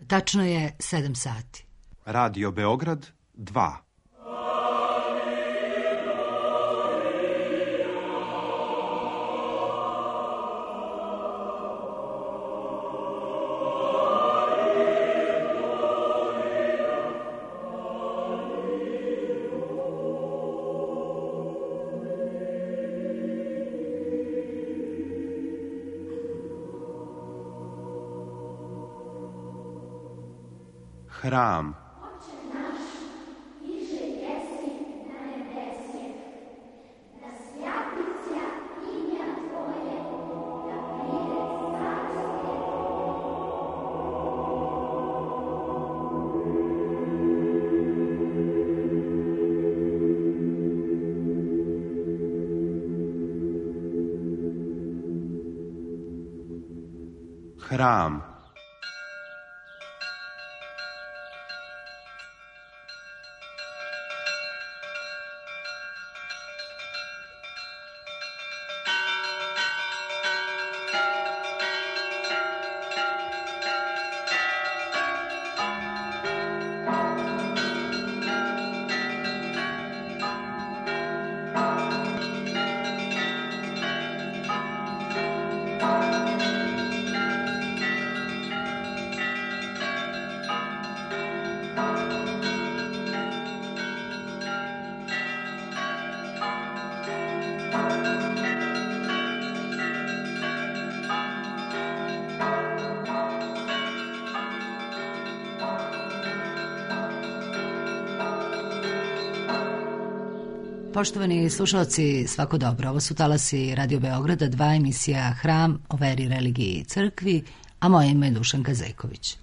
Tačno je 7 sati. Radio Beograd 2. Hram. Hram. Poštovani slušalci, svako dobro. Ovo su talasi Radio Beograda 2, emisija Hram o veri, religiji i crkvi, a moje ime je Dušanka Zejković.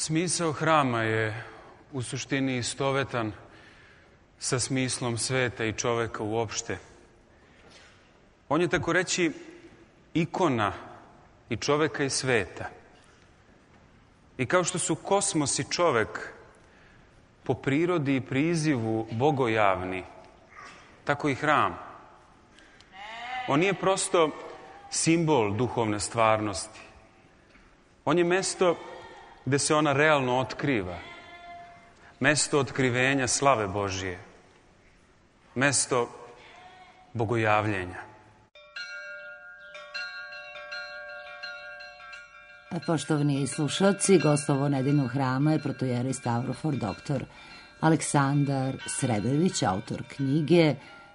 Smisao hrama je u suštini istovetan sa smislom sveta i čoveka uopšte. On je, tako reći, ikona i čoveka i sveta. I kao što su kosmos i čovek po prirodi i prizivu bogojavni, tako i hram. On nije prosto simbol duhovne stvarnosti. On je mesto gde se ona realno otkriva. Mesto otkrivenja slave Božije. Mesto bogojavljenja. Poštovani slušalci, gost ovo nedeljnog hrama je protojerej Stavrofor dr. Aleksandar Sredojević, autor knjige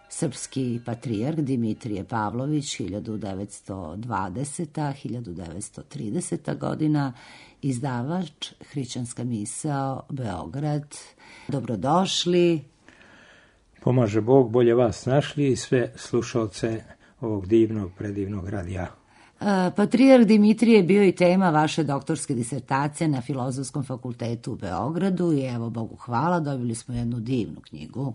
Srpski patrijarh Dimitrije Pavlović 1920-1930 godina, izdavač Hrišćanska misao, Beograd. Dobrodošli. Pomaže Bog, bolje vas našli i sve slušalce ovog divnog, predivnog radija. Patrijarh Dimitrije bio i tema vaše doktorske disertacije na Filozofskom fakultetu u Beogradu i evo, Bogu hvala, dobili smo jednu divnu knjigu.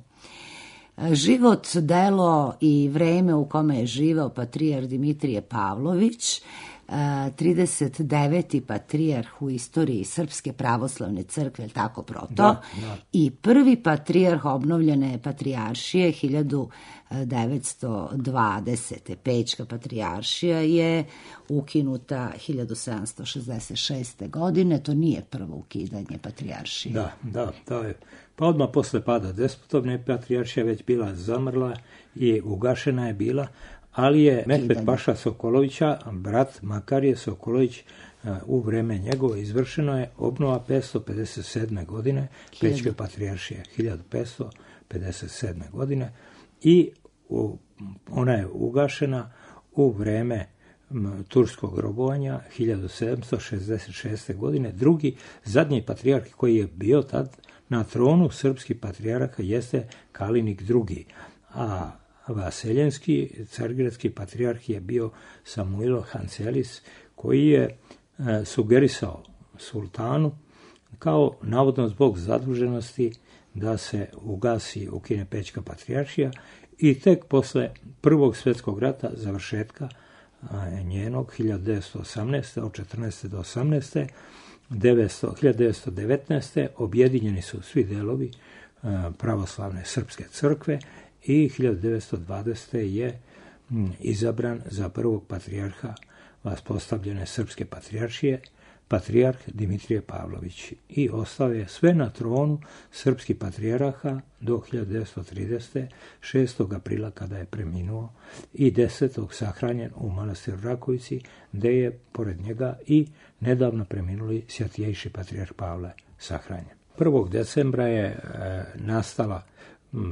Život, delo i vreme u kome je živeo patrijarh Dimitrije Pavlović 39. patrijarh u istoriji Srpske pravoslavne crkve, je li tako, Proto? Da. I prvi patrijarh obnovljene patrijaršije 1920. Pečka patrijaršija je ukinuta 1766. godine. To nije prvo ukidanje patrijaršije. Da, to je. Pa odmah posle pada despotovne patrijaršija već bila zamrla i ugašena je bila, ali je Mehmet Paša Sokolovića, brat Makarije Sokolović, u vreme njegovo izvršeno je obnova 557. godine Pečke patrijaršije, 1557. godine, i ona je ugašena u vreme turskog robovanja 1766. godine. Zadnji patrijarh koji je bio tad na tronu srpskih patrijarha jeste Kalinik II. A vaseljenski, cargradski patrijarh je bio Samuilo Hancelis, koji je sugerisao sultanu kao navodno zbog zaduženosti da se ukine Pečka patrijaršija, i tek posle Prvog svjetskog rata, završetka njenog 1918. od 14. do 18. 1919. objedinjeni su svi delovi pravoslavne srpske crkve i 1920. je izabran za prvog patrijarha vaspostavljene srpske patrijaršije patrijarh Dimitrije Pavlović, i ostao je sve na tronu srpskih patrijarha do 1930. 6. aprila kada je preminuo, i 10. sahranjen u manastiru Rakovici, gde je pored njega i nedavno preminuli svjatijejši patrijarh Pavle sahranjen. 1. decembra je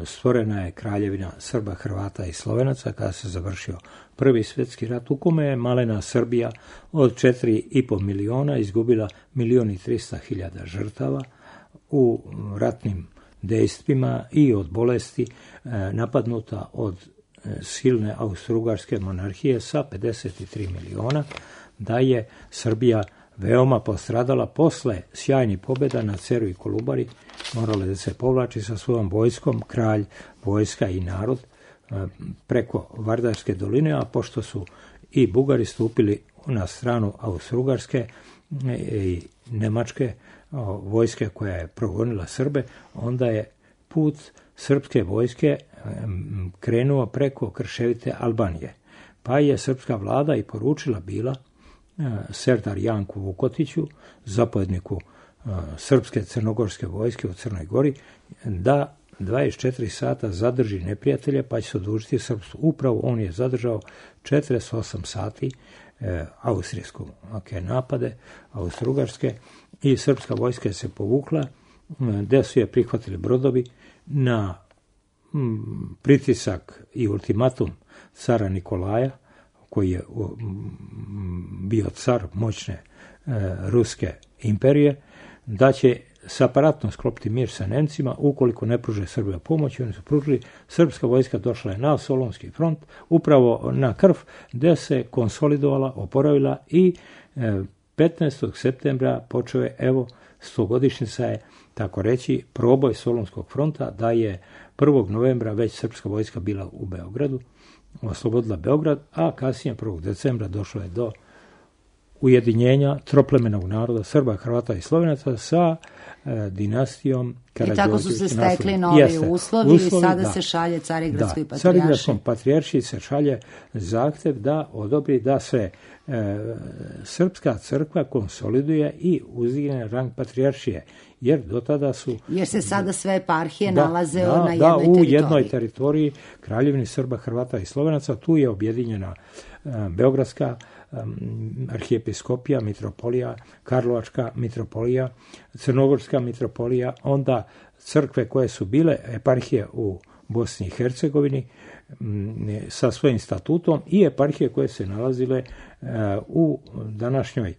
stvorena je Kraljevina Srba, Hrvata i Slovenaca kada se završio Prvi svjetski rat, u kome je malena Srbija od 4,5 miliona izgubila 1.300.000 žrtava u ratnim dejstvima i od bolesti, napadnuta od silne austrougarske monarhije sa 53 miliona, da je Srbija veoma postradala posle sjajnih pobjeda na Ceru i Kolubari, morala da se povlači sa svojom vojskom, kralj, vojska i narod preko Vardarske doline, a pošto su i Bugari stupili na stranu austrougarske i nemačke vojske koja je progonila Srbe, onda je put srpske vojske krenuo preko krševite Albanije. Pa je srpska vlada i poručila bila Serdar Janku Vukotiću, zapovjedniku srpske crnogorske vojske u Crnoj Gori, da 24 sata zadrži neprijatelje, pa će se odužiti srpstvu. Upravo on je zadržao 48 sati austrijske napade, austrougarske, i srpska vojska se povukla, gde su je prihvatili brodovi na pritisak i ultimatum cara Nikolaja, koji je bio car moćne ruske imperije, da će separatno sklopiti mir sa Nemcima ukoliko ne pruže Srbija pomoć. Oni su pružili, srpska vojska došla je na Solunski front, upravo na Krf, gde se konsolidovala, oporavila, i 15. septembra počeo je, evo, 100-godišnjica je, tako reći, proboj Solunskog fronta, da je 1. novembra već srpska vojska bila u Beogradu, oslobodila Beograd, a kasnije 1. decembra došlo je do ujedinjenja troplemenog naroda Srba, Hrvata i Slovenaca sa dinastijom Karađorđević. I tako su se stekli novi uslovi i sada se šalje Carigradskoj patrijaršiji. Carigradskom patrijaršiji se šalje zahtev da odobri da se srpska crkva konsoliduje i uzdigne rang patrijaršije, jer do tada su... Jer se sada sve eparhije nalaze na jednoj teritoriji. U jednoj teritoriji Kraljevini Srba, Hrvata i Slovenaca. Tu je objedinjena Beogradska arhijepiskopija, mitropolija, Karlovačka mitropolija, Crnogorska mitropolija, onda crkve koje su bile eparhije u Bosni i Hercegovini sa svojim statutom, i eparhije koje se nalazile u današnjoj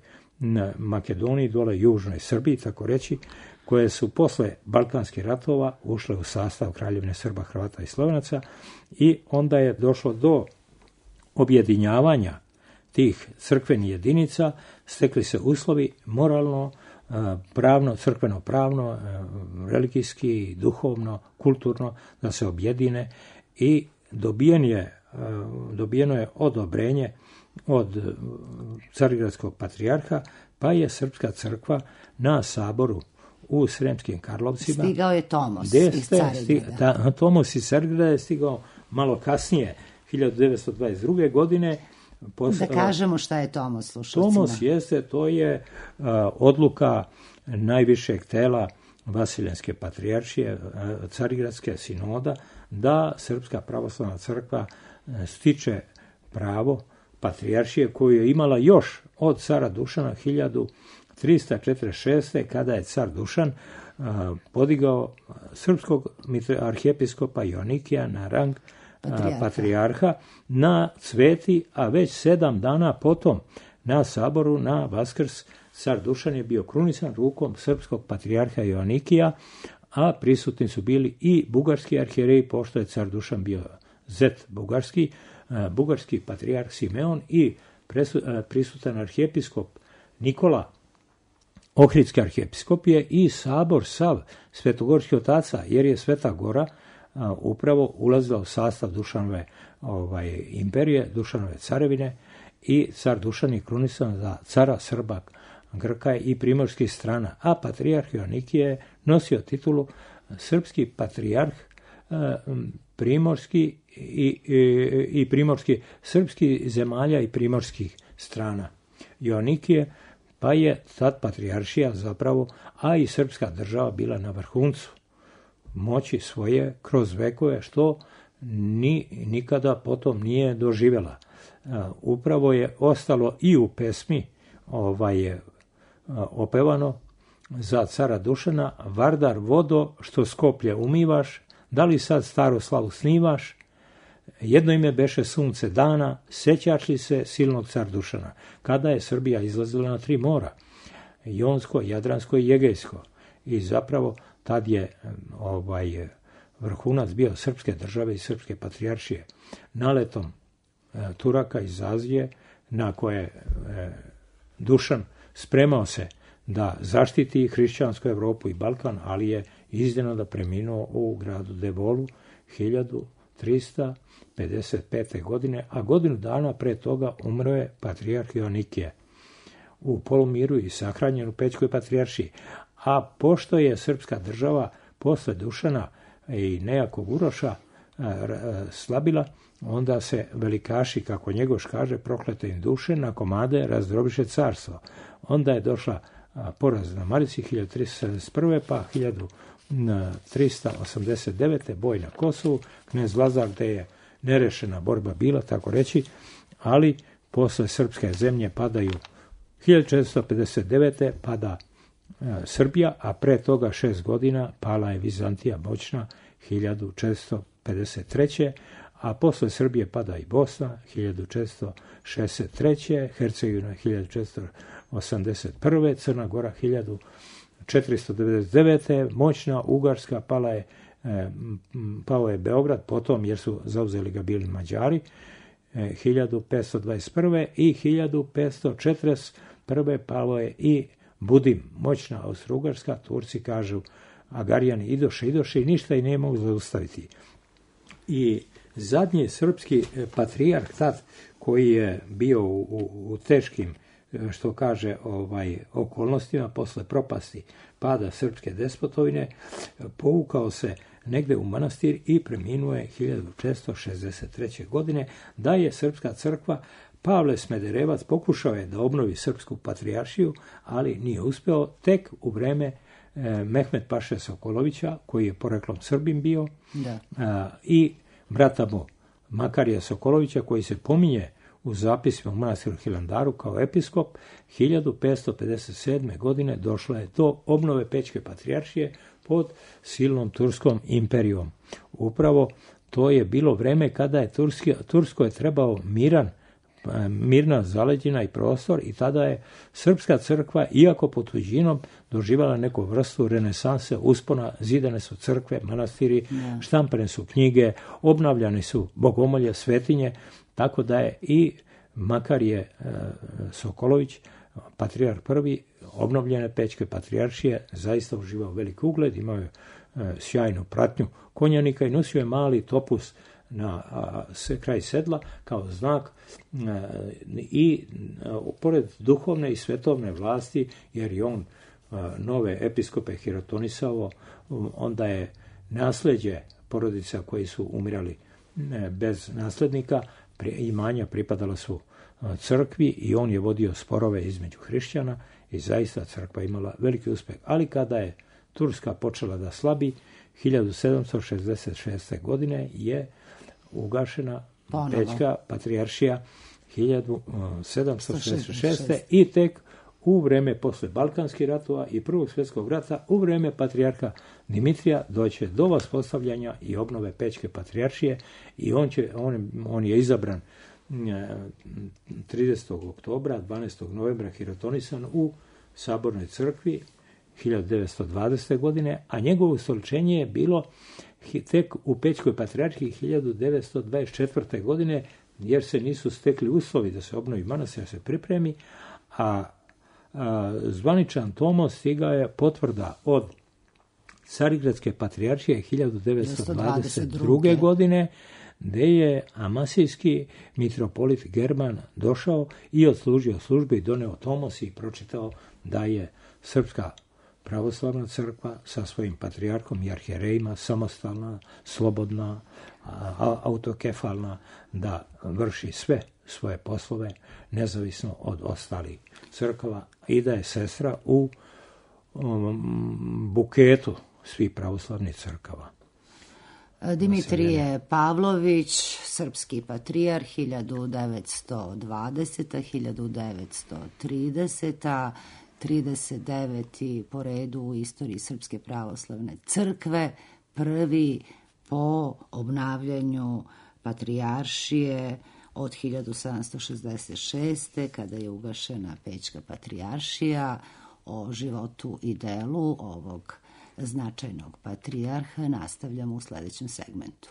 Makedoniji, dole južnoj Srbiji, tako reći, koje su posle Balkanskih ratova ušle u sastav Kraljevine Srba, Hrvata i Slovenaca, i onda je došlo do objedinjavanja tih crkvenih jedinica, stekli se uslovi moralno, pravno, crkveno pravno, religijski, duhovno, kulturno, da se objedine, i dobijeno je odobrenje od Carigradskog patrijarha, pa je Srpska crkva na saboru u Sremskim Karlovcima. Stigao je Tomos iz Carigrada. Tomos iz Carigrada je stigao malo kasnije, 1922. godine. Da kažemo šta je Tomos slušalcima. Tomos to je odluka najvišeg tela Vasiljanske patrijaršije, Carigradske sinoda, da Srpska pravoslavna crkva stiče pravo patrijaršije koju je imala još od cara Dušana 1346. kada je car Dušan podigao srpskog arhijepiskopa Joanikija na rang patrijarha na Cveti, a već 7 dana potom na saboru na Vaskrs car Dušan je bio krunisan rukom srpskog patrijarha Joanikija, a prisutni su bili i bugarski arhijereji, pošto je car Dušan bio zet bugarski patrijarh Simeon i prisutan arhijepiskop Nikola Ohridske arhijepiskopije i sabor sav svetogorskih otaca, jer je Sveta Gora upravo ulazila u sastav Dušanove imperije, Dušanove carevine, i car Dušan je krunisan za cara Srba, Grka i primorskih strana, a patrijarh Joanikije je nosio titulu srpski patrijarh primorski i primorski srpskih zemalja i primorskih strana. Joanikije, pa je tad patrijaršija zapravo, a i srpska država bila na vrhuncu moći svoje kroz vekove, što nikada potom nije doživjela. Upravo je ostalo i u pesmi opevano za cara Dušana: Vardar vodo što Skoplje umivaš, da li sad staru slavu snivaš, jedno ime beše sunce dana, sećaš li se silnog car Dušana, kada je Srbija izlazila na 3 mora, Jonsko, Jadransko i Egejsko, i zapravo tad je vrhunac bio srpske države i srpske patrijaršije. Naletom Turaka iz Azije, na koje Dušan spremao se da zaštiti hrišćansku Evropu i Balkan, ali je iznenada preminuo u gradu Devolu 1355. godine, a godinu dana pre toga umro je patrijarh Joanikije u polumiru i sahranjen u Pećkoj patrijaršiji. A pošto je srpska država posle Dušana i nejakog Uroša slabila, onda se velikaši, kako Njegoš kaže, proklete im duše, na komade razdrobiše carstvo. Onda je došla poraz na Marici 1371. pa 1389. boj na Kosovu, knez Lazar, gde je nerešena borba bila, tako reći, ali posle srpske zemlje padaju 1459. pada Srbija, a pre toga 6 godina pala je Vizantija moćna 1453. a posle Srbije pada i Bosna 1463. Hercegovina 1481. Crna Gora 1499. moćna Ugarska, pao je Beograd potom, jer su zauzeli ga bili Mađari 1521. i 1541. pao je i Budim, moćna Austro-Ugarska. Turci kažu, Agarijani idoše i ništa i ne mogu zaustaviti. I zadnji srpski patrijarh tad, koji je bio u teškim, što kaže, okolnostima posle propasti pada srpske despotovine, povukao se negde u manastir i preminuo je 1663. godine, da je srpska crkva. Pavle Smederevac pokušao je da obnovi srpsku patrijaršiju, ali nije uspeo. Tek u vreme Mehmet Paše Sokolovića, koji je poreklom Srbin bio, i brata mu Makarija Sokolovića, koji se pominje u zapisima u manastiru Hilandaru kao episkop, 1557. godine došlo je do obnove Pećke patrijaršije pod silnom turskom imperijom. Upravo to je bilo vreme kada je Turskoj trebao mirna zaleđina i prostor, i tada je srpska crkva, iako pod tuđinom, doživala neku vrstu renesanse, uspona, zidane su crkve, manastiri, štampane su knjige, obnavljane su bogomolje, svetinje, tako da je i Makarije Sokolović, patrijarh prvi obnovljene Pećke patrijaršije, zaista uživao veliki ugled, imao je sjajnu pratnju konjanika i nosio je mali topus na kraj sedla kao znak i pored duhovne i svetovne vlasti, jer je on nove episkope hirotonisao, onda je nasljeđe porodica koji su umirali bez naslednika, imanja pripadala su crkvi i on je vodio sporove između hrišćana i zaista crkva imala veliki uspjeh. Ali kada je Turska počela da slabi, 1766. godine je ugašena Pećka patrijaršija 1766. i tek u vreme posle Balkanskih ratova i Prvog svjetskog rata, u vreme patrijarha Dimitrija, doće do vaspostavljanja i obnove Pećke patrijaršije i on je izabran 30. oktobra, 12. novembra hirotonisan u Sabornoj crkvi 1920. godine, a njegovo ustoličenje je bilo tek u Pećkoj patrijarhiji 1924. godine, jer se nisu stekli uslovi da se obnovi manastir, da se pripremi, a zvaničan tomos stigao je potvrda od Carigradske patrijaršije 1922. godine, gdje je amasijski mitropolit German došao i odslužio službe i doneo tomos i pročitao da je Srpska pravoslavna crkva sa svojim patrijarkom i arhijerejima samostalna, slobodna, autokefalna, da vrši sve svoje poslove nezavisno od ostalih crkava i da je sestra u buketu svih pravoslavnih crkava. Dimitrije Pavlović, srpski patrijarh 1920. 1930. 39. po redu u istoriji Srpske pravoslavne crkve, prvi po obnavljanju patrijaršije od 1766. kada je ugašena Pećka patrijaršija. O životu i delu ovog značajnog patrijarha nastavljamo u sljedećem segmentu.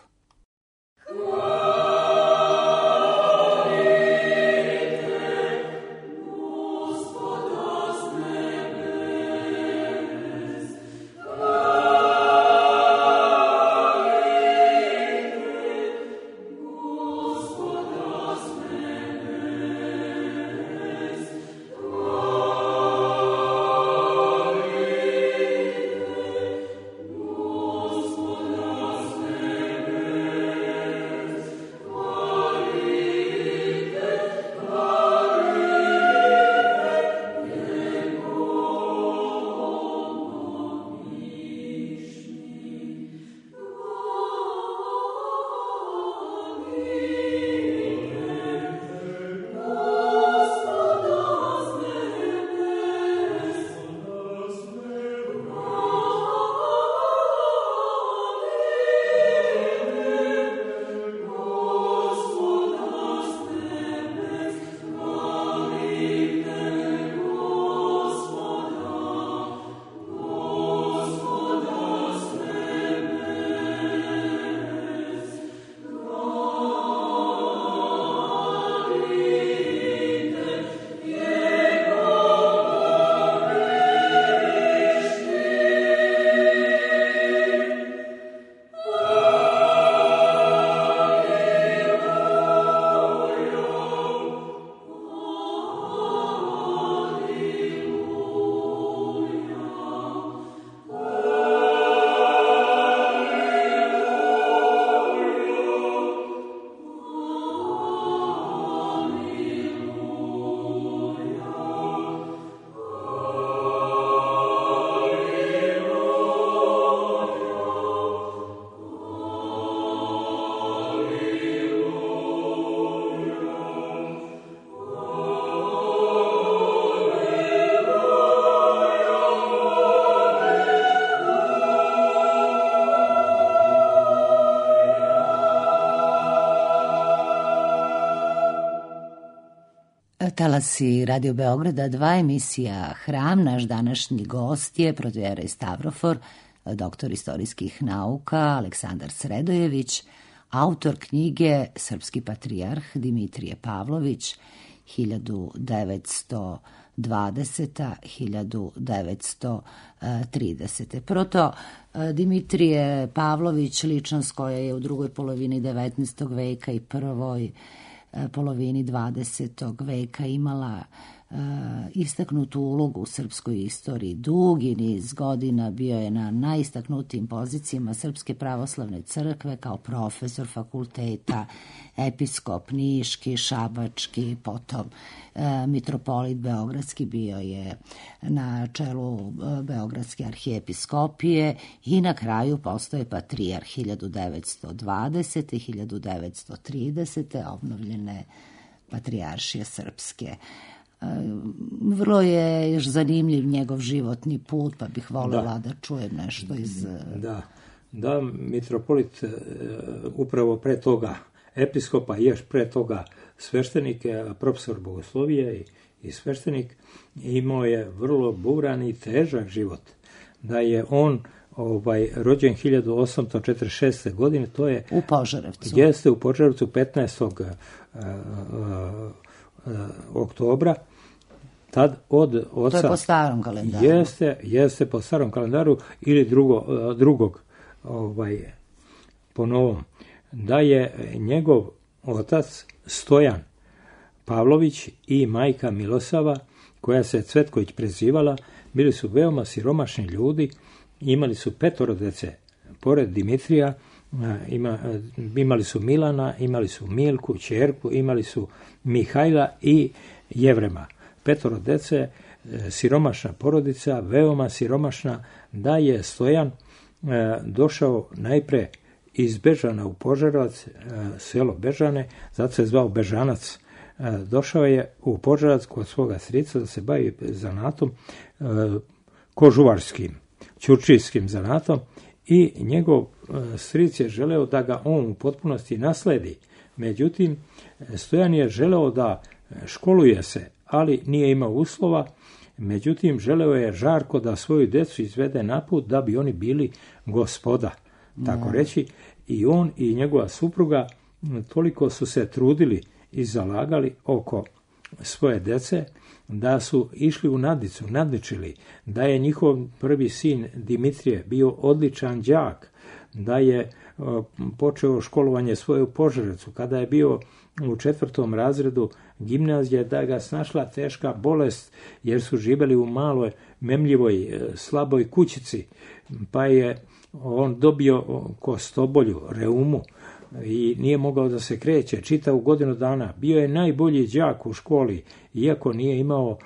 Talasi Radio Beograda 2, emisija Hram. Naš današnji gost je protoijerej Stavrofor, doktor istorijskih nauka Aleksandar Sredojević, autor knjige Srpski patrijarh Dimitrije Pavlović 1920. 1930. Proto Dimitrije Pavlović, ličnost koja je u drugoj polovini 19. veka i prvoj polovini 20. veka imala istaknutu ulogu u srpskoj istoriji. Dugi niz godina bio je na najistaknutijim pozicijama Srpske pravoslavne crkve kao profesor fakulteta, episkop niški, šabački, potom mitropolit beogradski, bio je na čelu Beogradske arhijepiskopije i na kraju postoje patrijarh 1920. i 1930. obnovljene patrijaršije srpske. Vrlo je još zanimljiv njegov životni put, pa bih voljela da čujem nešto iz... Da, mitropolit upravo pre toga episkopa, još pre toga sveštenik, profesor bogoslovije i sveštenik, imao je vrlo buran i težak život. Da je on rođen 1846. godine, to je... U Požarevcu. Jeste, u Požarevcu 15. oktobra, tad od oca... To je po starom kalendaru. Jeste po starom kalendaru ili drugog po novom. Da je njegov otac Stojan Pavlović i majka Milosava, koja se Cvetković prezivala, bili su veoma siromašni ljudi, imali su 5 dece. Pored Dimitrija, imali su Milana, imali su Milku, ćerku, imali su Mihajla i Jevrema. 5 dece, siromašna porodica, veoma siromašna, da je Stojan došao najpre iz Bežana u Požarevac, selo Bežane, zato se zvao Bežanac. Došao je u Požarevac kod svoga strica da se bavi zanatom, kožuvarskim, ćurčijskim zanatom, i njegov stric je želeo da ga on u potpunosti nasledi. Međutim, Stojan je želeo da školuje se, ali nije imao uslova. Međutim, želeo je žarko da svoju decu izvede na put da bi oni bili gospoda, tako reći. I on i njegova supruga toliko su se trudili i zalagali oko svoje dece, da su išli u nadničili, da je njihov prvi sin Dimitrije bio odličan đak, da je počeo školovanje svoje u Požarevcu. Kada je bio u 4. razredu gimnazije, da ga snašla teška bolest, jer su živjeli u maloj, memljivoj, slaboj kućici, pa je on dobio kostobolju, reumu, i nije mogao da se kreće čitavu godinu dana. Bio je najbolji đak u školi, iako nije imao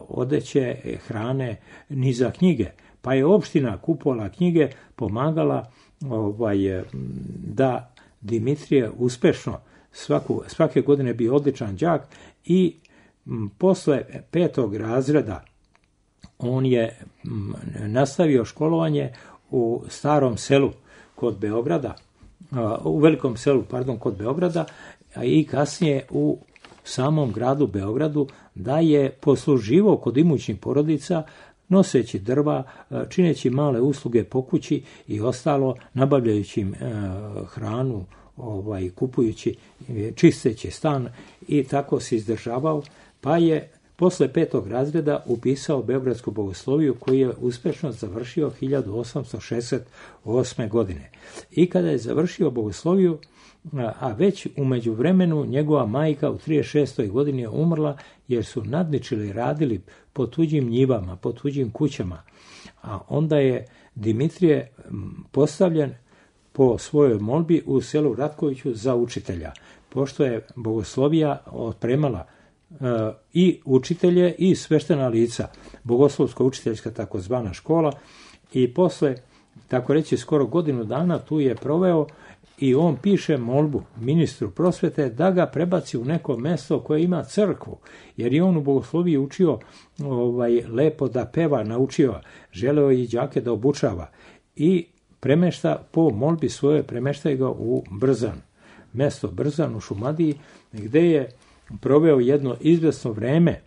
odeće, hrane ni za knjige. Pa je opština kupovala knjige, pomagala da Dimitrije uspešno svake godine bio odličan đak, i posle 5. razreda on je nastavio školovanje u starom selu kod Beograda, u velikom selu, kod Beograda, i kasnije u samom gradu Beogradu, da je posluživao kod imućnih porodica, noseći drva, čineći male usluge po kući i ostalo, nabavljajući im hranu, kupujući, čisteći stan, i tako se izdržavao, pa je posle 5. razreda upisao Beogradsku bogosloviju, koju je uspešno završio 1868. godine. I kada je završio bogosloviju, a već u međuvremenu njegova majka u 36. godini je umrla, jer su nadničili, radili po tuđim njivama, po tuđim kućama. A onda je Dimitrije postavljen po svojoj molbi u selu Ratkoviću za učitelja, pošto je bogoslovija otpremala i učitelje i sveštena lica, bogoslovsko-učiteljska takozvana škola, i posle, tako reći, skoro godinu dana tu je proveo, i on piše molbu ministru prosvete da ga prebaci u neko mesto koje ima crkvu, jer je on u bogosloviji učio lepo da peva, naučio, želeo i đake da obučava, i premešta po molbi svoje, premešta ga u Brzan, mesto Brzan u Šumadiji, gde je proveo jedno izvesno vreme,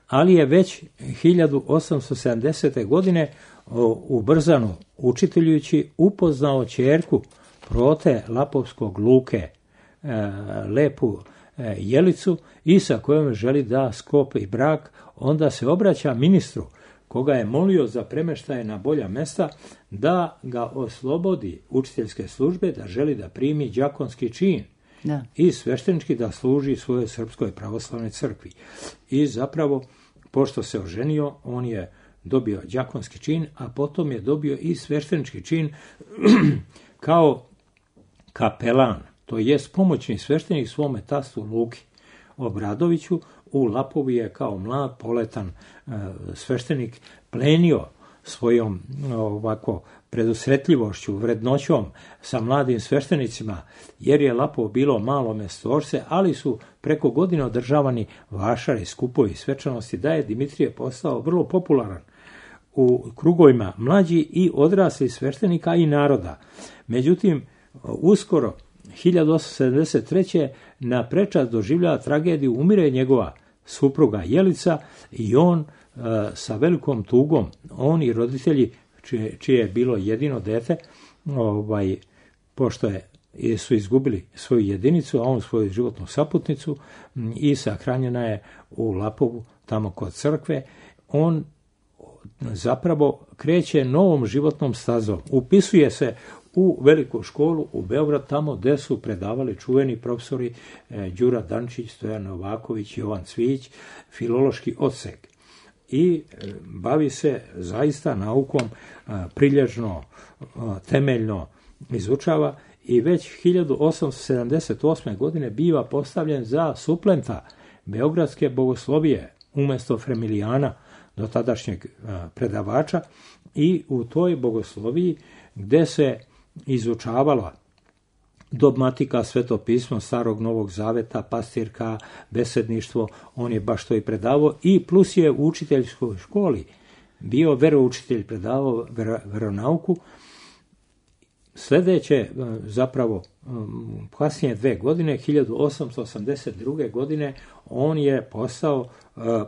ali je već 1870. godine u Brzanu, učiteljujući, upoznao ćerku Prote Lapovskog Luke, lepu Jelicu i sa kojom želi da sklopi brak, onda se obraća ministru koga je molio za premeštaje na bolja mesta da ga oslobodi učiteljske službe, da želi da primi đakonski čin i sveštenički da služi svojoj Srpskoj pravoslavnoj crkvi. I zapravo, pošto se oženio, on je dobio đakonski čin, a potom je dobio i sveštenički čin kao kapelan, to jest pomoćni sveštenik svome tastu Luki Obradoviću. U Lapovu je kao mlad, poletan sveštenik plenio svojom ovako predusretljivošću, vrednoćom sa mladim sveštenicima, jer je Lapovo bilo malo mestorce, ali su preko godine održavani vašari, skupovi svečanosti, da je Dimitrije postao vrlo popularan u krugovima mlađi i odrasli sveštenika i naroda. Međutim, uskoro 1873. na prečac doživljava tragediju, umire njegova supruga Jelica i on sa velikom tugom, on i roditelji čije je bilo jedino dete, pošto su izgubili svoju jedinicu, a on svoju životnu saputnicu, i sahranjena je u Lapovu, tamo kod crkve. On zapravo kreće novom životnom stazom. Upisuje se u veliku školu u Beograd, tamo gde su predavali čuveni profesori Đura Dančić, Stojan Novaković, Jovan Cvijić, filološki odsek. I bavi se zaista naukom, prilježno, temeljno izučava i već 1878. godine biva postavljen za suplenta beogradske bogoslovije umjesto Fremilijana, do tadašnjeg predavača, i u toj bogosloviji gde se izučavala dogmatika, svetopismo Starog Novog Zaveta, pastirka, besedništvo, on je baš to i predavao, i plus je u učiteljskoj školi bio veroučitelj, predavao veronauku. Sljedeće, zapravo kasnije 2 godine, 1882. godine, on je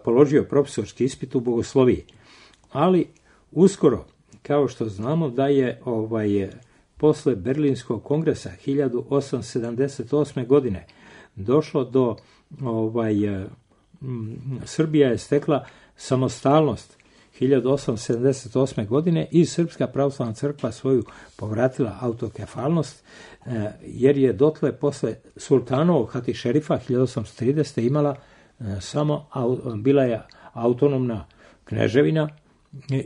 položio profesorski ispit u bogosloviji. Ali uskoro, kao što znamo da je posle Berlinskog kongresa 1878. godine došlo do Srbija je stekla samostalnost 1878. godine i Srpska pravoslavna crkva svoju povratila autokefalnost, jer je dotle posle sultanovog hatišerifa 1830. imala bila je autonomna kneževina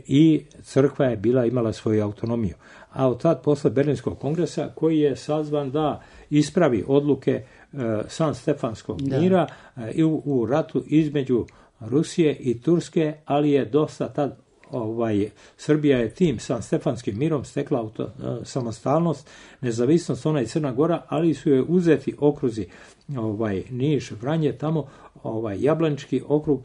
i crkva je imala svoju autonomiju. A od tad posle Berlinskog kongresa, koji je sazvan da ispravi odluke San Stefanskog mira i u ratu između Rusije i Turske, ali je dosta tad Srbija je tim San Stefanskim mirom stekla samostalnost, nezavisnost, ona i Crna Gora, ali su joj uzeti okruzi Niš, Vranje, tamo Jablanički okrug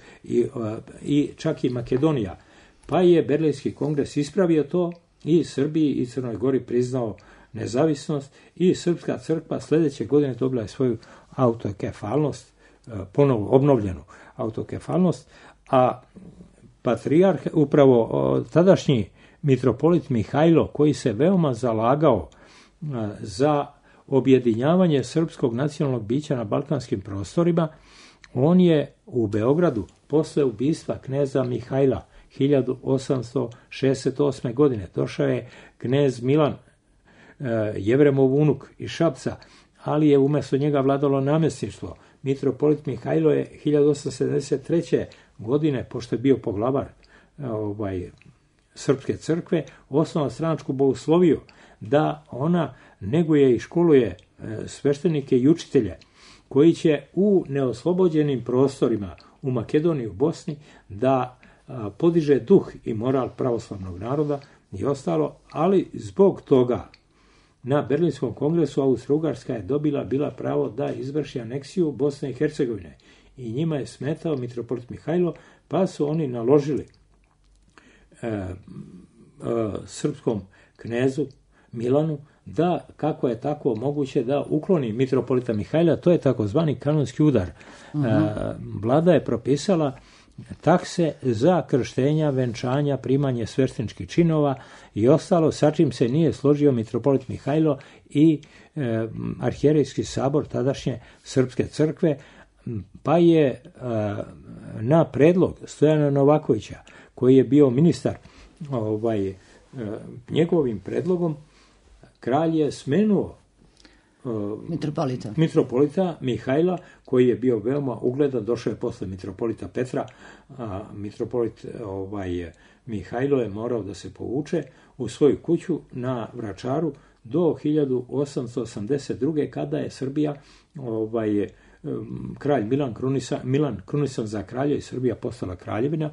i čak i Makedonija. Pa je Berlinski kongres ispravio to i Srbiji i Crnoj Gori priznao nezavisnost i Srpska crkva sljedeće godine dobila je svoju autokefalnost, ponovo obnovljenu autokefalnost, a patrijarh, upravo tadašnji mitropolit Mihajlo, koji se veoma zalagao za objedinjavanje srpskog nacionalnog bića na balkanskim prostorima, on je u Beogradu posle ubistva kneza Mihajla 1868. godine došao je knez Milan, Jevremov unuk iz Šapca, ali je umjesto njega vladalo namjesništvo. Mitropolit Mihajlo je 1873. godine, pošto je bio poglavar Srpske crkve, osnovao stranačku bogosloviju, da ona neguje i školuje sveštenike i učitelje koji će u neoslobođenim prostorima u Makedoniji, u Bosni, da podiže duh i moral pravoslavnog naroda i ostalo, ali zbog toga na Berlinskom kongresu Austro-Ugarska je bila pravo da izvrši aneksiju Bosne i Hercegovine i njima je smetao mitropolit Mihajlo, pa su oni naložili srpskom knezu Milanu da, kako je tako moguće, da ukloni mitropolita Mihajla, to je takozvani kanonski udar. Vlada je propisala takse za krštenja, venčanja, primanje svešteničkih činova i ostalo, sa čim se nije složio mitropolit Mihajlo i arhijerejski sabor tadašnje Srpske crkve, pa je na predlog Stojana Novakovića, koji je bio ministar, njegovim predlogom kralj je smenuo mitropolita Mihajla, koji je bio veoma ugledan, došao je posle mitropolita Petra, a mitropolit Mihajlo je morao da se povuče u svoju kuću na Vračaru do 1882. kada je Srbija kralj Milan krunisan za kralja i Srbija postala kraljevina.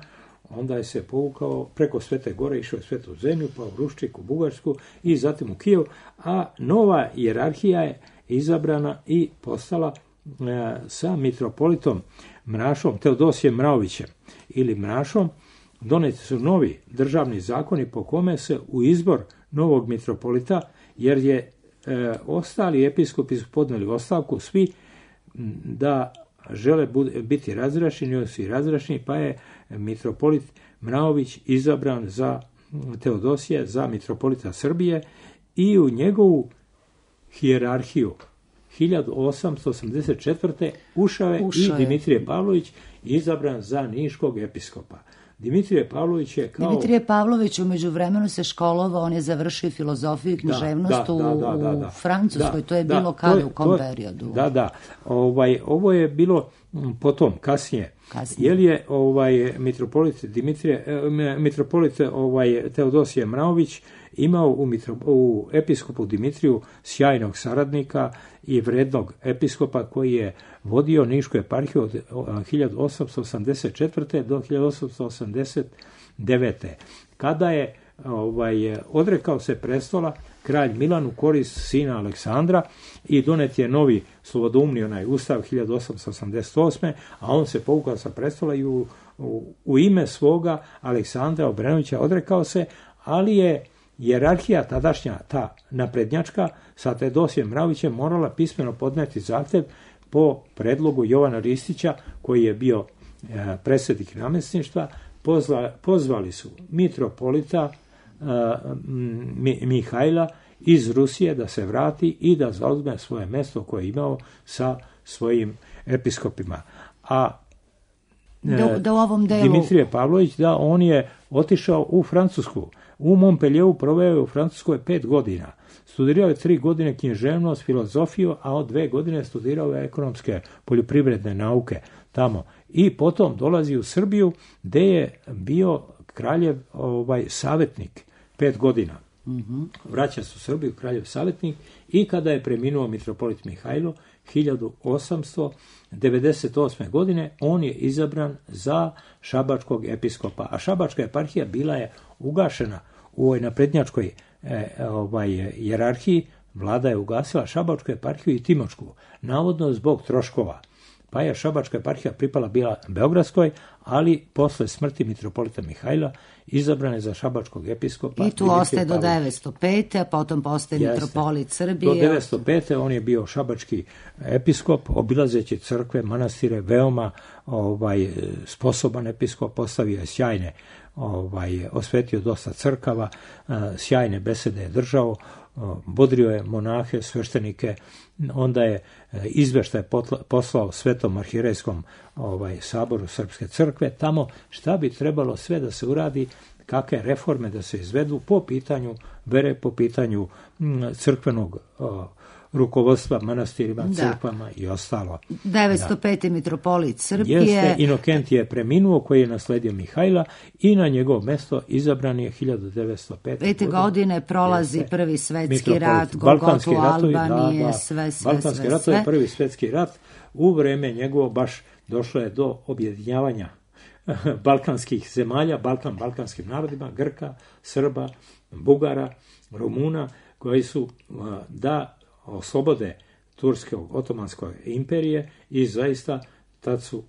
Onda je se povukao preko Svete Gore, išao je Svetu zemlju, pa u Ruščik, u Bugarsku i zatim u Kijev, a nova hijerarhija je izabrana i postala sa mitropolitom Mrašom, Teodosijem Mraovićem ili Mrašom. Doneti su novi državni zakoni po kome se u izbor novog mitropolita, jer je ostali episkopi su podneli ostavku svi da žele biti razrešeni, oni su i razrešeni, pa je mitropolit Mraović izabran za Teodosija, za mitropolita Srbije i u njegovu hijerarhiju 1884. ušao je i Dimitrije Pavlović, izabran za niškog episkopa. Dimitrije Pavlović u međuvremenu se školovao, on je završio filozofiju i književnost u Francuskoj, to je bilo kada, u kom periodu? Ovo je bilo potom, kasnije. Jer je mitropolit Teodosije Mraović imao u episkopu Dimitriju sjajnog saradnika i vrednog episkopa koji je vodio nišku eparhiju od 1884. do 1889. Kada je odrekao se prestola kralj Milan u korist sina Aleksandra i donet je novi slobodoumni ustav 1888. a on se povukao sa prestola i u ime svoga Aleksandra Obrenovića odrekao se, ali je hijerarhija tadašnja, ta naprednjačka, sa Teodosijem Mraovićem morala pismeno podneti zahtev po predlogu Jovana Ristića, koji je bio predsjednik namjesništva. Pozvali su mitropolita Mihajla iz Rusije da se vrati i da zauzme svoje mjesto koje je imao sa svojim episkopima. A da u ovom delu... Dimitrije Pavlović, on je otišao u Francusku. U Montpellieru proveo je u Francuskoj 5 godina. Studirao je 3 godine književnost, filozofiju, a od 2 godine studirao je ekonomske poljoprivredne nauke tamo. I potom dolazi u Srbiju, gde je bio kraljev savjetnik 5 godina. Vraća se u Srbiju kraljev savjetnik i kada je preminuo mitropolit Mihajlo 1898. godine, on je izabran za šabačkog episkopa, a šabačka eparhija bila je ugašena u ovoj naprednjačkoj hijerarhiji. Vlada je ugasila šabačku eparhiju i timočku, navodno zbog troškova. Pa je šabačka eparhija pripala bila Beogradskoj, ali posle smrti mitropolita Mihajla izabran je za šabačkog episkopa. I tu ostaje do 905. a potom postaje mitropolit Srbije. Do 905. on je bio šabački episkop, obilazeći crkve, manastire, veoma sposoban episkop, postavio je sjajne, osvetio dosta crkava, sjajne besede je držao, bodrio je monahe, sveštenike, onda je izveštaj poslao Svetom arhijerejskom saboru Srpske crkve, tamo šta bi trebalo sve da se uradi, kakve reforme da se izvedu po pitanju vere, po pitanju crkvenog rukovodstva manastirima, crkvama i ostalo. 905. mitropolit Srbije. Jeste, Inokent je preminuo, koji je nasledio Mihajla i na njegovo mesto izabran je 1905. godine prolazi prvi svetski rat, Golgotu Albanije, sve. Balkanski rat je prvi svetski rat. U vreme njegovo baš došlo je do objedinjavanja balkanskih zemalja, balkanskim narodima, Grka, Srba, Bugara, Rumuna, koji su da oslobode Turske otomanske imperije i zaista tad su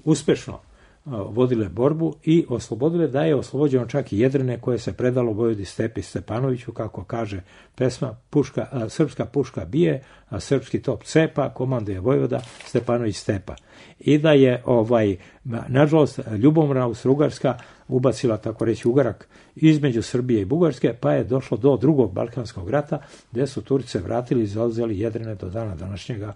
uspešno vodile borbu i oslobodile, da je oslobođeno čak i Jedrine koje se predalo Vojvodi Stepi Stepanoviću, kako kaže pesma, srpska puška bije, a srpski top cepa, komanduje Vojvoda Stepanović Stepa. I da je, nažalost, Ljubomira Austro-Ugarska ubacila, tako reći, ugarak između Srbije i Bugarske, pa je došlo do drugog Balkanskog rata, gdje su Turci vratili i zauzeli Jedrine do dana današnjega.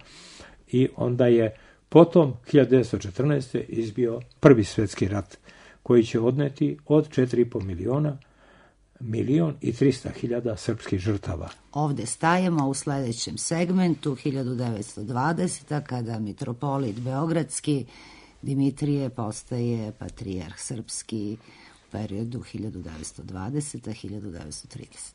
I onda je potom 1914. izbio Prvi svjetski rat, koji će odneti od 4,5 miliona 1.300.000 srpskih žrtava. Ovdje stajemo u sljedećem segmentu 1920. kada mitropolit Beogradski Dimitrije postaje patrijarh srpski u periodu 1920-1930.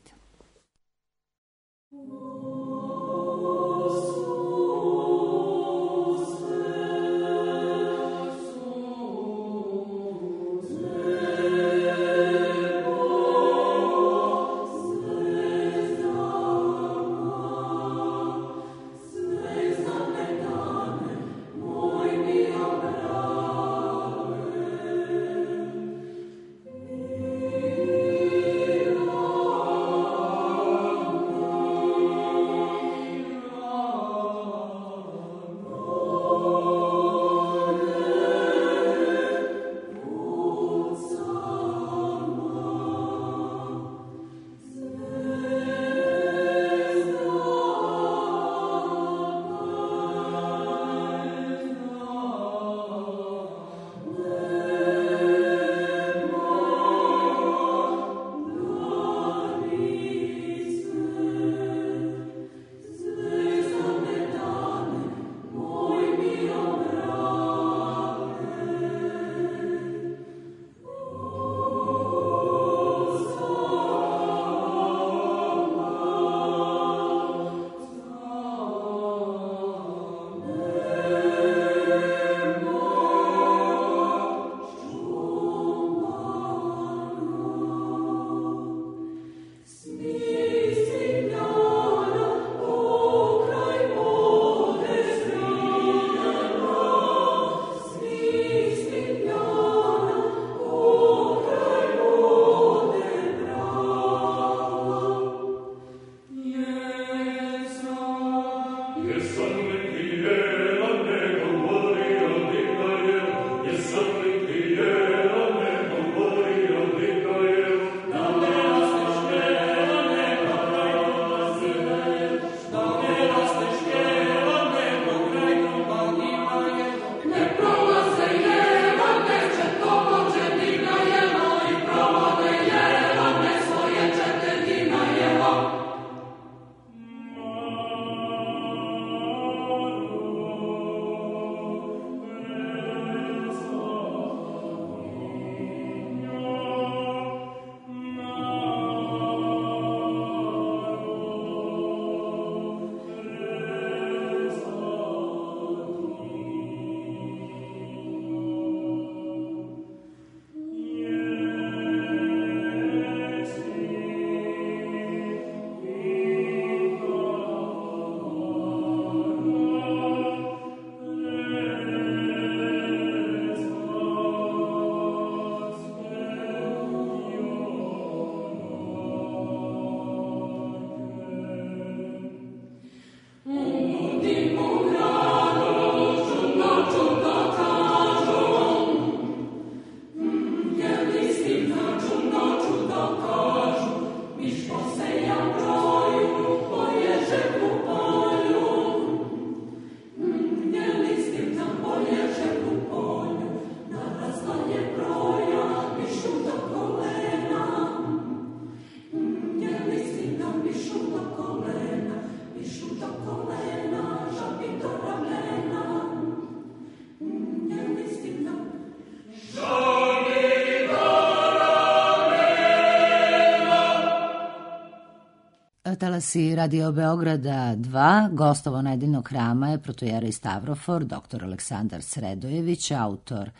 Talasi Radio Beograda 2, gostovo nedeljnog hrama je protojerej Stavrofor, dr. Aleksandar Sredojević, autor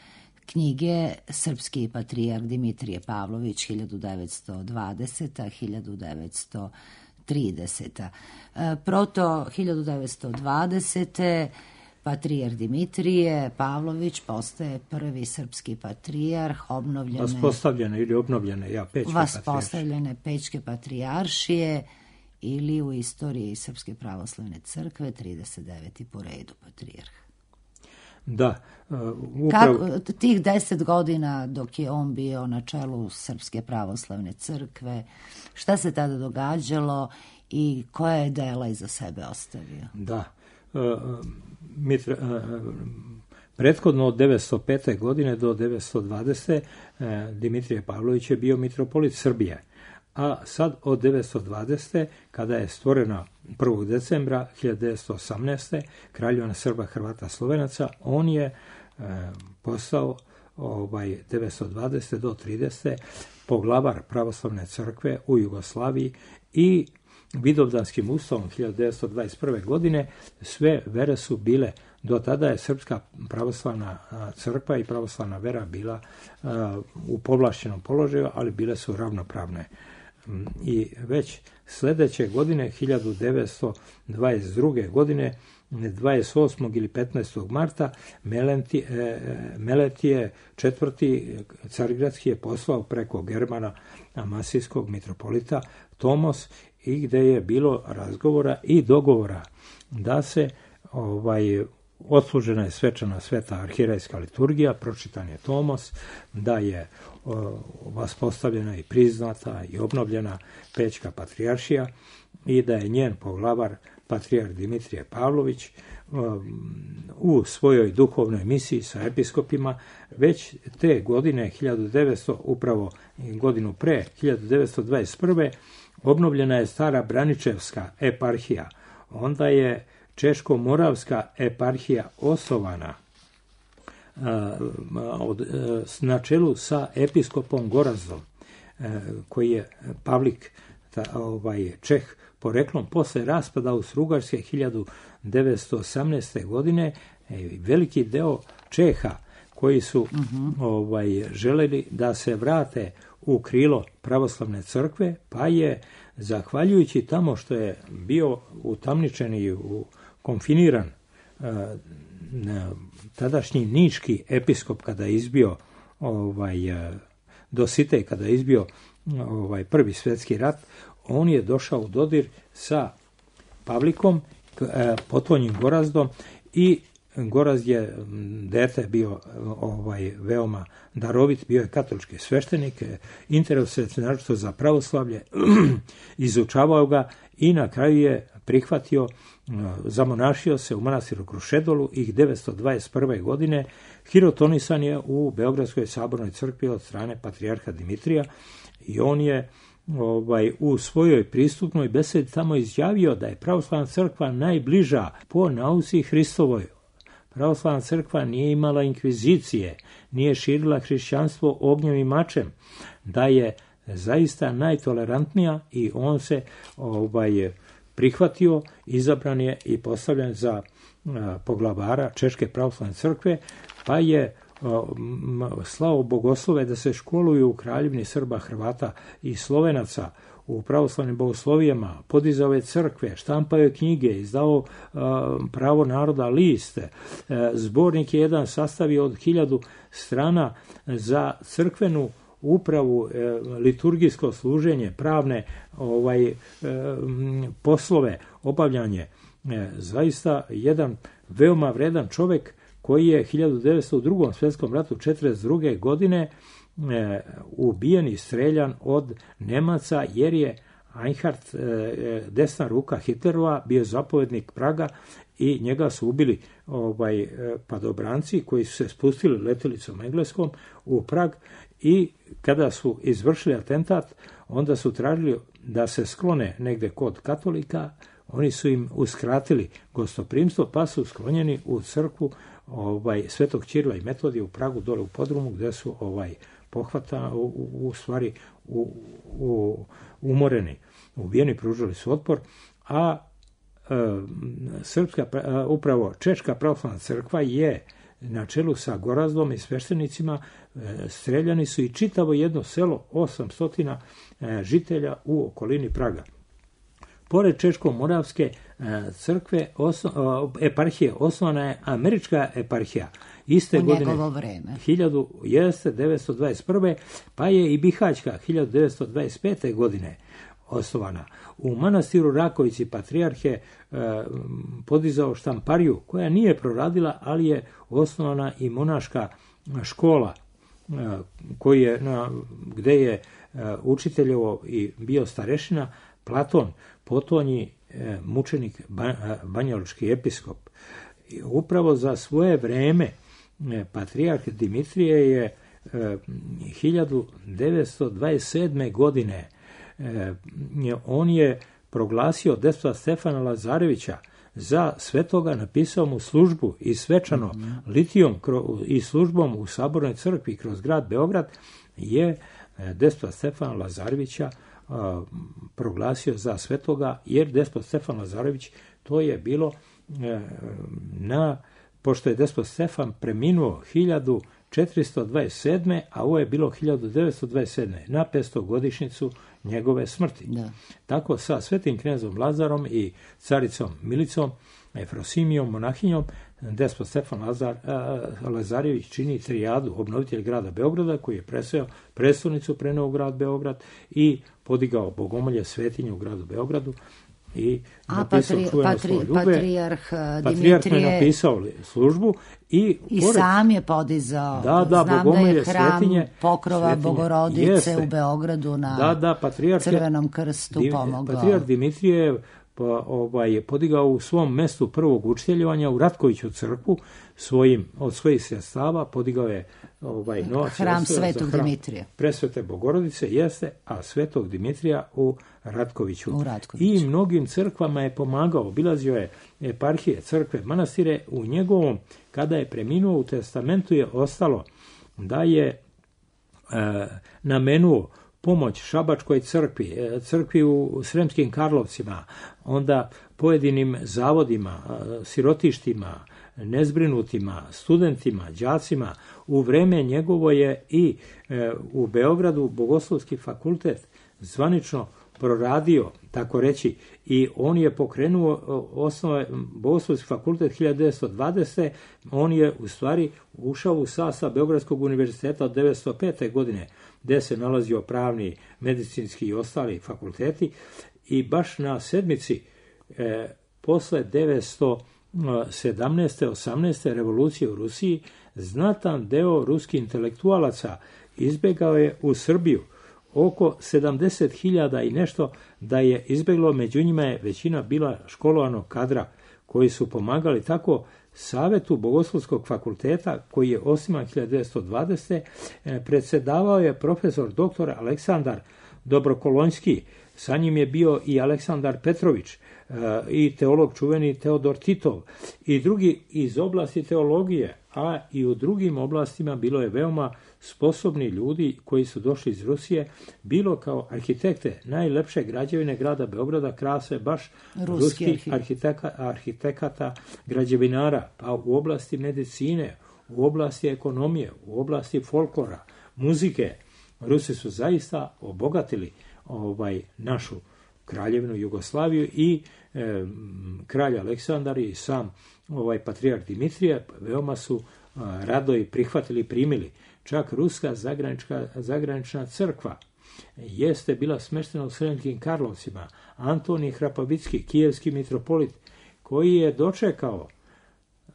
knjige Srpski patrijarh Dimitrije Pavlović 1920-1930. Proto 1920. Patrijarh Dimitrije Pavlović postaje prvi srpski patrijarh vaspostavljene Pećke patrijaršije ili u istoriji Srpske pravoslavne crkve 39. po redu patrijarh. Da. Kako, tih 10 godina dok je on bio na čelu Srpske pravoslavne crkve, šta se tada događalo i koja je dela iza sebe ostavio? Da. Prethodno od 905. godine do 920. Dimitrije Pavlović je bio mitropolit Srbije. A sad od 920. kada je stvorena 1. decembra 1918. Kraljevina Srba, Hrvata, Slovenaca, on je postao 920. do 30. poglavar pravoslavne crkve u Jugoslaviji i Vidovdanskim ustavom 1921. godine sve vere su bile, do tada je Srpska pravoslavna crkva i pravoslavna vera bila u povlašćenom položaju, ali bile su ravnopravne. I već sljedeće godine, 1922. godine, 28. ili 15. marta, Meletije IV. Carigradski je poslao preko Germana Amasijskog mitropolita Tomos, i gde je bilo razgovora i dogovora da se odslužena je svečana sveta arhirejska liturgija, pročitan je Tomos, da je vaspostavljena i priznata i obnovljena Pećka patrijaršija i da je njen poglavar patrijarh Dimitrije Pavlović u svojoj duhovnoj misiji sa episkopima već te godine 1900, upravo godinu pre 1921. obnovljena je stara Braničevska eparhija, onda je Češko-Moravska eparhija osnovana na čelu sa episkopom Gorazdom, koji je Pavlik Čeh poreklom. Posle raspada Austro-Ugarske 1918. godine veliki deo Čeha koji su želeli da se vrate u krilo pravoslavne crkve, pa je, zahvaljujući tamo što je bio utamničen i konfiniran tadašnji niški episkop kada je izbio Dositej, kada je izbio Prvi svjetski rat, on je došao u dodir sa Pavlikom, potonjim Gorazdom, i Gorazd je dete bio veoma darovit, bio je katolički sveštenik, interesuje se naročito za pravoslavlje, izučavao ga i na kraju je prihvatio, zamonašio se u manastiru Krušedolu i 921. godine hirotonisan je u Beogradskoj sabornoj crkvi od strane patrijarha Dimitrija i on je u svojoj pristupnoj besedi tamo izjavio da je pravoslavna crkva najbliža po nauci Hristovoj. Pravoslavna crkva nije imala inkvizicije, nije širila hrišćanstvo ognjem i mačem, da je zaista najtolerantnija i on se prihvatio, izabran je i postavljen za poglavara Češke pravoslavne crkve, pa je slao bogoslove da se školuju u Kraljevini Srba, Hrvata i Slovenaca u pravoslavnim bogoslovijama, podizao je crkve, štampao je knjige, izdao Pravo naroda list, zbornik je jedan sastavio od 1000 strana za crkvenu upravu, liturgijsko služenje, pravne poslove, obavljanje. Zaista jedan veoma vredan čovjek koji je 1902. svjetskom ratu 1942. godine ubijen i streljan od Nemaca, jer je Einhard, desna ruka Hitlerova, bio zapovjednik Praga i njega su ubili padobranci koji su se spustili letjelicom engleskom u Prag i kada su izvršili atentat, onda su tražili da se sklone negde kod katolika, oni su im uskratili gostoprimstvo, pa su sklonjeni u crkvu Svetog Ćirila i Metodija u Pragu, dole u podrumu, gde su pohvatani, u stvari umoreni, ubijeni, pružili su otpor, a upravo Češka pravoslavna crkva je na čelu sa Gorazdom i sveštenicima, streljani su i čitavo jedno selo, 800 žitelja u okolini Praga. Pored Češko-Moravske crkve, eparhije, osnovana je američka eparhija. Iste u godine, njegovo vreme. 1921. pa je i Bihaćka 1925. godine osnovana. U manastiru Rakovici patrijarh je podizao štampariju koja nije proradila, ali je osnovana i monaška škola gde je učiteljevo i bio starešina Platon, potonji mučenik banjalučki episkop. Upravo za svoje vreme patrijarh Dimitrije je 1927. godine on je proglasio despota Stefana Lazarevića za svetoga, napisao mu službu i svečano litijom i službom u Sabornoj crkvi kroz grad Beograd je despota Stefana Lazarevića proglasio za svetoga, jer despot Stefan Lazarević, to je bilo pošto je despot Stefan preminuo 1427. a ovo je bilo 1927. na 500. godišnjicu njegove smrti. Da. Tako sa svetim knezom Lazarom i caricom Milicom, Efrosimijom, monahinjom, despot Stefan Lazarević čini trijadu, obnovitelj grada Beograda, koji je preseo prestolnicu, preneo u grad Beograd i podigao bogomolje svetinje u gradu Beogradu. I patrijarh Dimitrije je napisao službu i sam je podizao. Znam da je hram pokrova Bogorodice u Beogradu na Crvenom krstu pomogao. Patrijarh Dimitrije je podigao u svom mestu prvog učiteljevanja u Ratkoviću crkvu od svojih sredstava, podigao je novac hram Svetog Dimitrija. Presvete Bogorodice jeste, a Svetog Dimitrija u Ratkoviću. I mnogim crkvama je pomagao, obilazio je eparhije, crkve, manastire. U njegovom, kada je preminuo, u testamentu je ostalo da je namenuo pomoć Šabačkoj crkvi u Sremskim Karlovcima, onda pojedinim zavodima, sirotištima, nezbrinutima, studentima, đacima. U vreme njegovo je i u Beogradu Bogoslovski fakultet zvanično proradio, tako reći, i on je pokrenuo Bogoslovski fakultet 1920. On je u stvari ušao u sastav Beogradskog univerziteta od 1905. godine, gde se nalazio pravni, medicinski i ostali fakulteti, i baš na sedmici posle 1917. 18. revolucije u Rusiji znatan deo ruskih intelektualaca izbegao je u Srbiju. Oko 70.000 i nešto da je izbeglo, među njima je većina bila školovanog kadra koji su pomagali tako Savetu Bogoslovskog fakulteta, koji je osnivan 1920. Predsedavao je profesor dr. Aleksandar Dobrokolonjski, sa njim je bio i Aleksandar Petrović, i teolog čuveni Teodor Titov i drugi iz oblasti teologije, a i u drugim oblastima bilo je veoma sposobni ljudi koji su došli iz Rusije, bilo kao arhitekte. Najlepše građevine grada Beograda krase baš ruskih arhitekata, građevinara, pa u oblasti medicine, u oblasti ekonomije, u oblasti folklora, muzike. Rusi su zaista obogatili našu kraljevinu Jugoslaviju i kralj Aleksandar i sam patrijarh Dimitrije veoma su rado i prihvatili i primili. Čak ruska zagranična crkva jeste bila smeštena u Sremskim Karlovcima. Antonij Hrapavicki, kijevski mitropolit, koji je dočekao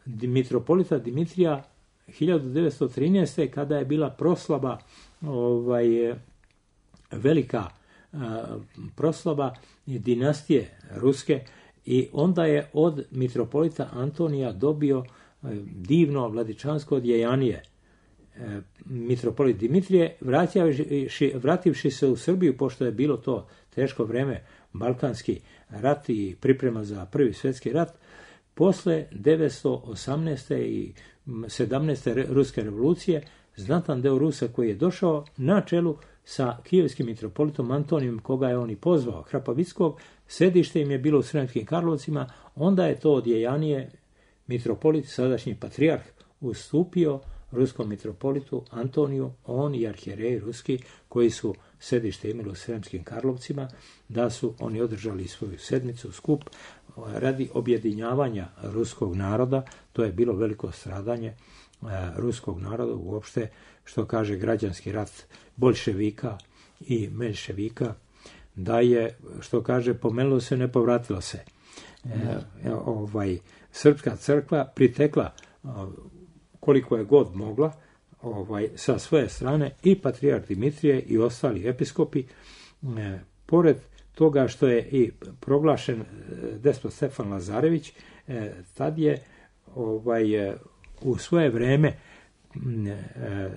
mitropolita Dimitrija 1913. kada je bila proslava, velika proslava dinastije ruske, i onda je od mitropolita Antonija dobio divno vladičansko odjejanije. Mitropolit Dimitrije, vrativši se u Srbiju, pošto je bilo to teško vreme, Balkanski rat i priprema za Prvi svjetski rat, posle 1918. i 17. ruske revolucije, znatan deo Rusa koji je došao na čelu sa kijevskim mitropolitom Antonijem, koga je on i pozvao, Hrapavickog, sedište im je bilo u Sremskim Karlovcima, onda je to odjejanije mitropolit, sadašnji patrijarh, ustupio ruskom mitropolitu Antoniju, on i arhijereji ruski koji su sedište imalo u Sremskim Karlovcima, da su oni održali svoju sedmicu, skup, radi objedinjavanja ruskog naroda. To je bilo veliko stradanje ruskog naroda uopšte, što kaže građanski rat boljševika i menševika, da je, što kaže, pomenulo se, ne povratilo se. Srpska crkva pritekla koliko je god mogla sa svoje strane, i patrijarh Dimitrije i ostali episkopi, pored toga što je i proglašen despot Stefan Lazarević, tad je u svoje vreme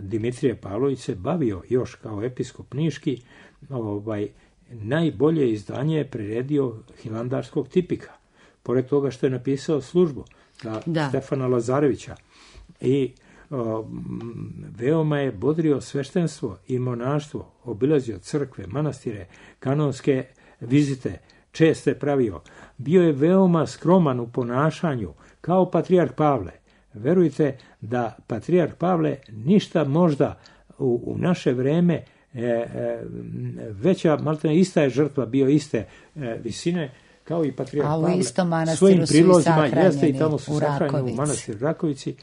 Dimitrije Pavlović se bavio još kao episkop niški, najbolje izdanje je priredio Hilandarskog tipika, pored toga što je napisao službu za Stefana Lazarevića, i veoma je bodrio sveštenstvo i monaštvo, obilazio crkve, manastire, kanonske vizite, česte pravio. Bio je veoma skroman u ponašanju, kao patrijarh Pavle. Verujte da patrijarh Pavle ništa možda u naše vreme veća, maltene ista je žrtva, bio iste visine, kao i patrijarh Pavle. A u istom manastiru svojim prilozima su i jeste i tamo su sahranjeni u manastiru Rakovici,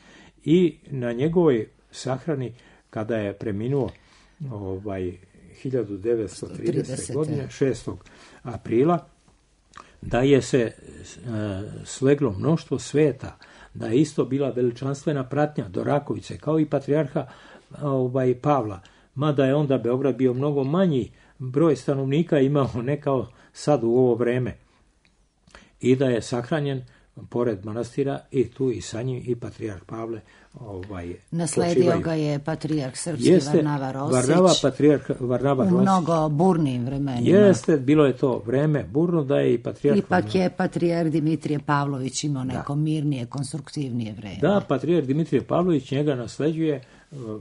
i na njegovoj sahrani, kada je preminuo 1930. godine, 6. aprila, da je se sleglo mnoštvo sveta, da je isto bila veličanstvena pratnja do Rakovice, kao i patrijarha Pavla, mada je onda Beograd bio mnogo manji broj stanovnika imao, ne kao sad u ovo vreme, i da je sahranjen pored manastira, i tu i sa njim i patrijarh Pavle nasledio ga je patrijarh srpski Varnava Rosić. Varnava u mnogo burnim vremenima. Jeste, bilo je to vreme burno, da je i patrijarh... Ipak je patrijarh Dimitrije Pavlović imao neko mirnije, konstruktivnije vreme. Da, patrijarh Dimitrije Pavlović njega nasleđuje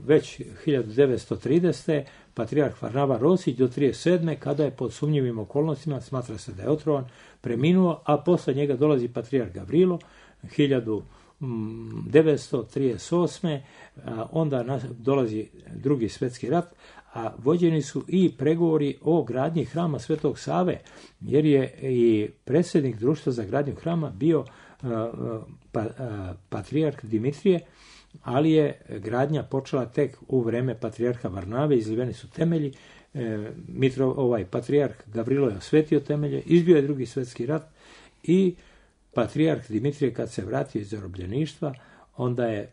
već 1930. Patrijarh Varnava Rosić do 1937. kada je pod sumnjivim okolnostima, smatra se da je otrovan, preminuo, a posle njega dolazi patrijarh Gavrilo 1938. Onda dolazi Drugi svjetski rat, a vođeni su i pregovori o gradnji hrama Svetog Save, jer je i predsjednik društva za gradnju hrama bio patrijarh Dimitrije, ali je gradnja počela tek u vreme patrijarha Varnave, izliveni su temelji, patrijarh Gavrilo je osvetio temelje, izbio je Drugi svjetski rat, i patrijarh Dimitrije kad se vratio iz zarobljeništva, onda je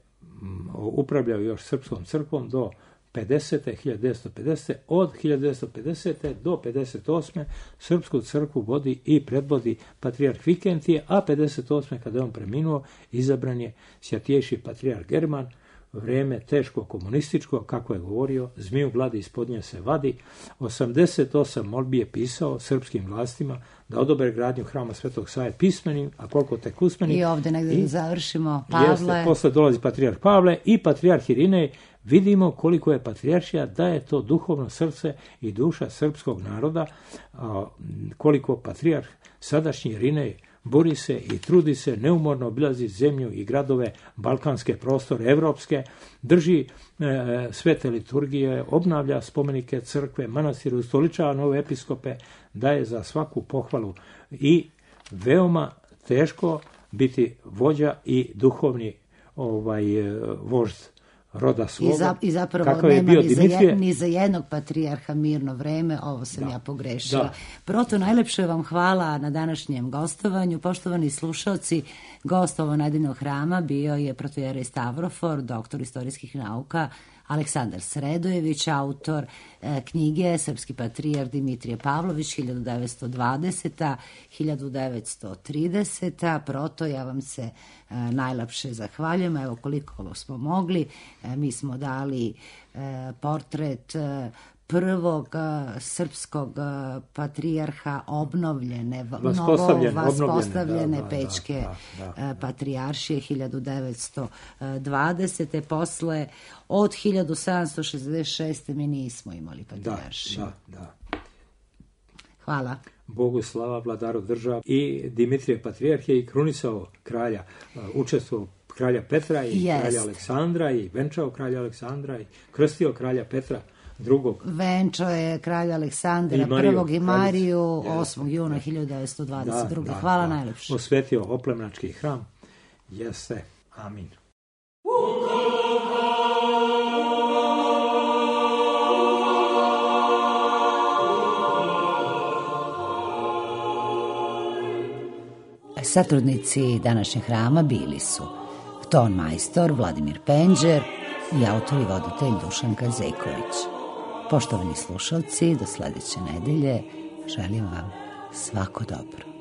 upravljao još srpskom crkvom do 1950. Od 1950. do 1958. srpsku crkvu vodi i predvodi patrijarh Vikentije, a 1958. kada je on preminuo, izabran je sjatjejši patrijarh German. Vrijeme teško komunističko, kako je govorio, zmiju gladi ispod nje se vadi. 88 molbi je pisao srpskim vlastima da odobre gradnju hrama Svetog Save pismenim, a koliko tek usmenim. I ovdje negdje završimo Pavle. Jeste, posle dolazi patrijarh Pavle i patrijarh Irinej. Vidimo koliko je patrijaršija, da je to duhovno srce i duša srpskog naroda, koliko patrijarh sadašnji Irinej bori se i trudi se, neumorno obilazi zemlju i gradove, balkanske prostore, evropske, drži svete liturgije, obnavlja spomenike crkve, manastire, ustoličava nove episkope, daje za svaku pohvalu, i veoma teško biti vođa i duhovni vožd roda svoga. I zapravo nema ni za jednog patrijarha mirno vreme, ovo sam ja pogrešila. Da. Proto, najlepše vam hvala na današnjem gostovanju. Poštovani slušalci, gost ovo Nedinog hrama bio je protojerej Stavrofor, doktor istorijskih nauka, Aleksandar Sredojević, autor knjige Srpski patrijarh Dimitrije Pavlović 1920-1930. Proto, ja vam se najlepše zahvaljujem. Evo koliko smo mogli. Mi smo dali portret prvog srpskog patrijarha obnovljene, vaspostavljene Pečke patrijaršije 1920. Posle od 1766. mi nismo imali patrijaršiju. Da. Hvala. Bogu slava, vladaru država. I Dimitrije patrijarh je i krunisao kralja, učestvovao kralja Petra i kralja Aleksandra, i venčao kralja Aleksandra i krstio kralja Petra drugog. Venčao je kralja Aleksandra I. i Mariju 8. juna 1922. Hvala najlepše. Osvetio Oplemnački hram. Jeste. Amin. Satrudnici današnjeg hrama bili su ton majstor Vladimir Penđer i autor i voditelj Dušan Kazeković. Poštovani slušalci, do sledeće nedelje želim vam svako dobro.